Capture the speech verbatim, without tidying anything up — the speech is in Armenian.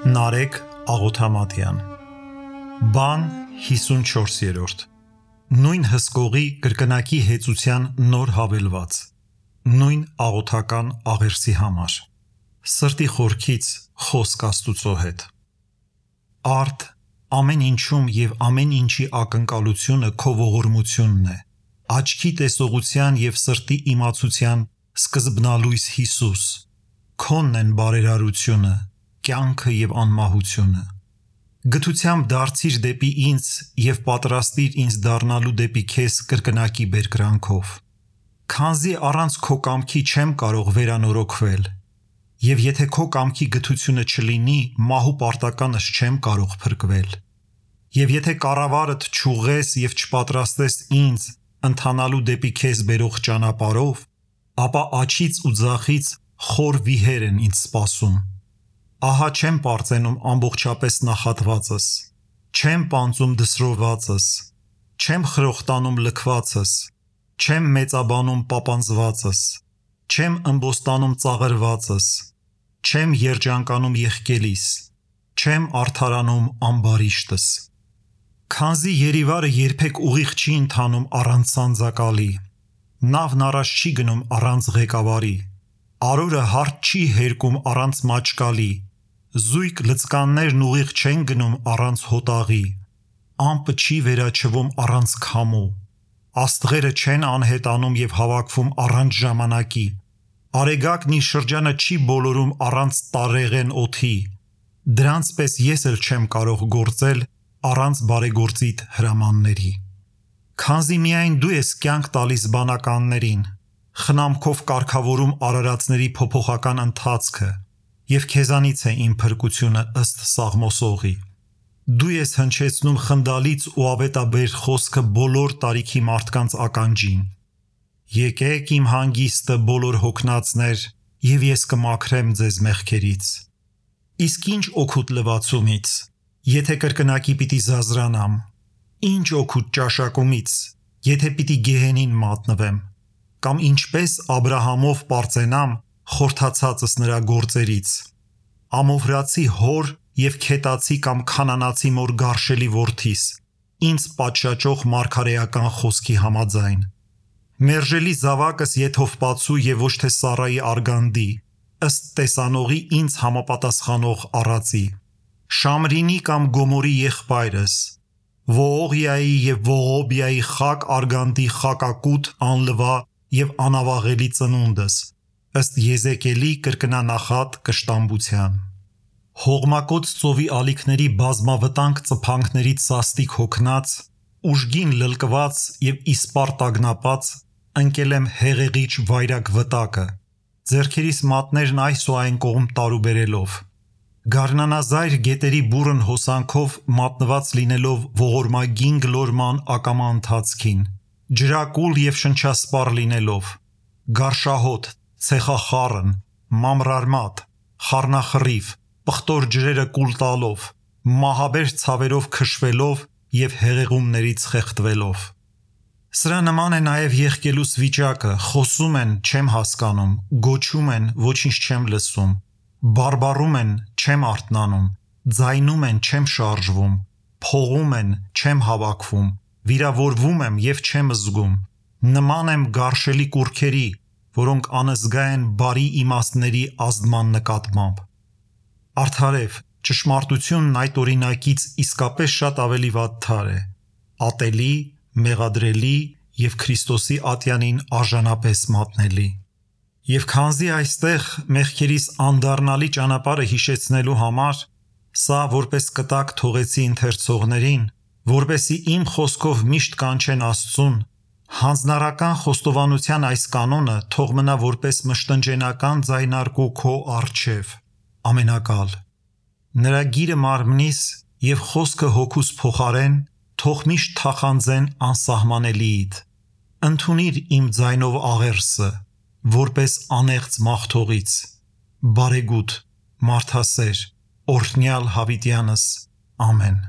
Նարեկ Աղոթամատյան Բան հիսունչորսերորդ Նույն հսկողի կրկնակի հեծության նոր հավելված Նույն աղոթական աղերսի համար Սրտի խորքից խոսք Աստուծո հետ Արդ ամեն ինչում և ամեն ինչի ակնկալությունը քո ողորմությունն է Աչքի տեսողության և սրտի իմացության սկզբնալույս Հիսուս Քոնն են բարերարությունը կյանքը և անմահությունը Գթությամբ դարձիր դեպի ինձ և պատրաստիր ինձ դառնալու դեպի քեզ կրկնակի բերկրանքով Քանզի առանց քո կամքի չեմ կարող վերանորոգվել և եթե քո կամքի գթությունը չլինի մահու պարտականս չեմ կարող փրկվել և եթե կառավարդ չուղղես և չպատրաստես ինձ ընթանալու դեպի քեզ բերող ճանապարհով ապա աջից ու ձախից խոր վիհեր են ինձ սպասում Ահա չեմ պարծենում ամբողջապես նախատվածս, չեմ պանծում դսրովածս, չեմ խրոխտանում լքվածս, չեմ մեծաբանում պապանձվածս, չեմ ըմբոստանում ծաղրվածս, չեմ երջանկանում եղկելիս, չեմ արդարանում ամբարիշտս։ Քանզի երիվարը երբեք ուղիղ չի ընթանում առանց սանձակալի, նավն առաջ չի գնում առանց ղեկավարի, արորը հարթ չի հերկում առանց մաճկալի, Զույգ լծկաններն ուղիղ չեն գնում առանց հոտաղի, ամպը չի վերաչվում առանց քամու, աստղերը չեն անհետանում և հավաքվում առանց ժամանակի, արեգակն իր շրջանը չի բոլորում առանց տարեղեն օդի, դրանց պես ես էլ չեմ կարող գործել առանց բարեգործիդ հրամանների։ Քանզի միայն դու ես կյանք տալիս բանականներին, խնամքով կարգավորում արարածների փոփոխական ընթացքը, և քեզանից է իմ փրկությունը ըստ Սաղմոսողի։ Դու ես հնչեցնում խնդալից ու ավետաբեր խոսքը բոլոր տարիքի մարդկանց ականջին։ Եկեք իմ հանգիստը բոլոր հոգնածներ, և ես կմաքրեմ ձեզ մեղքերից։ Իսկ ինչ օգուտ լվացումից, եթե կրկնակի պիտի զազրանամ, ինչ օգուտ ճաշակումից, եթե պիտի գեհենին մատնվեմ, կամ ինչպես Աբրահամով պարծենամ, խորթացածս նրա գործերից, ամովրացի հոր և քետացի կամ քանանացի մոր գարշելի որդիս, ինձ պատշաճող մարգարեական խոսքի համաձայն, մերժելի զավակս եթովպացու և ոչ թե Սառայի արգանդի, ըստ տեսանողի ինձ համապատասխանող առածի, Շամրինի կամ Գոմորի եղբայրս, Ոողիայի և Ողոբիայի խակ արգանդի խակակութ անլվա և անավաղելի ծնունդս, ըստ Եզեկիելի կրկնանախատ կշտամբության։ Հողմակոծ ծովի ալիքների բազմավտանգ ծփանքներից սաստիկ հոգնած, ուժգին լլկված և իսպառ տագնապած, ընկել եմ հեղեղիչ վայրագ վտակը, ձեռքերիս մատներն այս ու այն կողմ տարուբերելով, գարնանազայր գետերի բուռն հոսանքով մատնված լինելով ողորմագին գլորման ակամա ընթացքին, ջրակուլ և շնչասպառ լինելով, գարշահոտ, ցեխախառն, մանրարմատ, խառնախռիվ, պղտոր ջրերը կուլ տալով, մահաբեր ցավերով քշվելով և հեղեղումներից խեղդվելով։ Սրա նման է նաև եղկելուս վիճակը, խոսում են, չեմ հասկանում, գոչում են, ոչինչ չեմ լսում, բարբառում են, չեմ արթնանում, ձայնում են, չեմ շարժվում, փողում են, չեմ հավաքվում, վիրավորվում եմ և չեմ զգում, նման եմ գարշելի կուռքերի, որոնք անզգա են բարի իմաստների ազդման նկատմամբ։ Արդարև, ճշմարտությունն այդ օրինակից իսկապես շատ ավելի վատթար է, ատելի, մեղադրելի և Քրիստոսի ատյանին արժանապես մատնելի։ Եվ քանզի այստեղ մեղքերիս անդառնալի ճանապարհը հիշեցնելու համար, սա որպես կտակ թողեցի ընթերցողներին, որպեսզի իմ խոսքով միշտ կանչեն Աստծուն, հանձնարարական խոստովանության այս կանոնը թող մնա որպես մշտնջենական ձայնարկու քո առջև, ամենակալ։ Նրա գիրը մարմնիս և խոսքը հոգուս փոխարեն թող միշտ թախանձեն անսահմանելիիդ։ Ընդունիր իմ ձայնով աղերսը, որպես անեղծ մաղթողից, բարեգութ, մարդասեր, օրհնյալ հավիտյանս, ամեն։